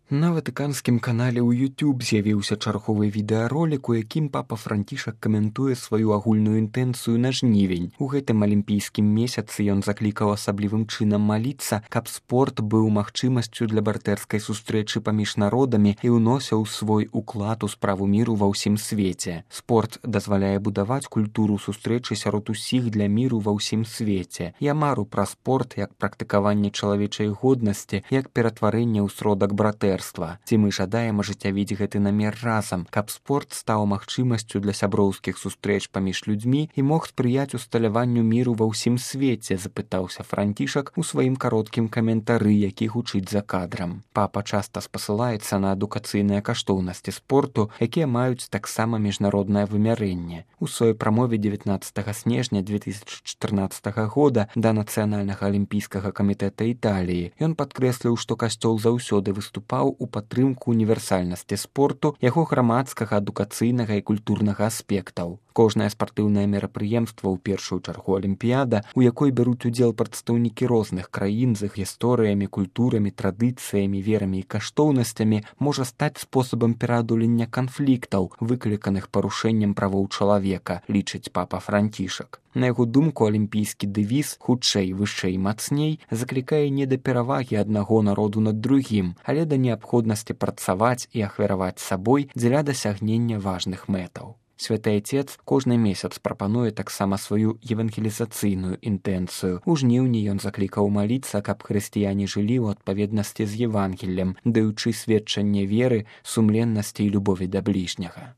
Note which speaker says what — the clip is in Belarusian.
Speaker 1: На ватыканскім канале ў YouTube з'явіўся чарговы відэаролік, у якім папа Францішак каментуе сваю агульную інтэнцыю на жнівень. У гэтым алімпійскім месяцы ён заклікаў асаблівым чынам маліцца, каб спорт быў магчымасцю для братэрскай сустрэчы паміж народамі і ўносіў свой уклад у справу міру ва ўсім свеце. Спорт дазваляе будаваць культуру сустрэчы сярод усіх для міру ва ўсім свеце. Я мару пра спорт як практыкаванне чалавечай годнасці, як ператварэнне ў сродак братэрства. Ці мы жадаем ажыццявіць гэты намер разам, каб спорт стаў магчымасцю для сяброўскіх сустрэч паміж людзьмі і мог спрыяць усталяванню міру ва ўсім свеце, запытаўся Францішак у сваім кароткім каментары, які гучыць за кадрам. Папа часта спасылаецца на адукацыйныя каштоўнасці спорту, якія маюць таксама міжнароднае вымярэнне. У сваёй прамове 19 снежня 2014 года да Нацыянальнага алімпійскага камітэта Італіі ён падкрэсліў, што касцёл заўсёды выступаў у падтрымку універсальнасці спорту, яго грамадскага, адукацыйнага і культурнага аспектаў. Кожнае спартыўнае мерапрыемства, у першую чаргу алімпіяда, у якой бяруць удзел прадстаўнікі розных краін з іх гісторыямі, культурамі, традыцыямі, верамі і каштоўнасцямі, можа стаць спосабам пераадолення канфліктаў, выкліканых парушэннем правоў чалавека, лічыць папа Францішак. На яго думку, алімпійскі дэвіз «хутчэй, вышэй, мацней» заклікае не да перавагі аднаго народу над другім, але да неабходнасці працаваць і ахвяраваць сабой дзеля дасягнення важных мэтаў. Святы Отец кожны месяц прапануе таксама сваю евангелізацыйную інтэнцыю. У жніўні ён заклікаў маліцца, каб хрысціяне жылі ў адпаведнасці з Евангеллем, даючы сведчанне веры, сумленнасці і любові да бліжняга.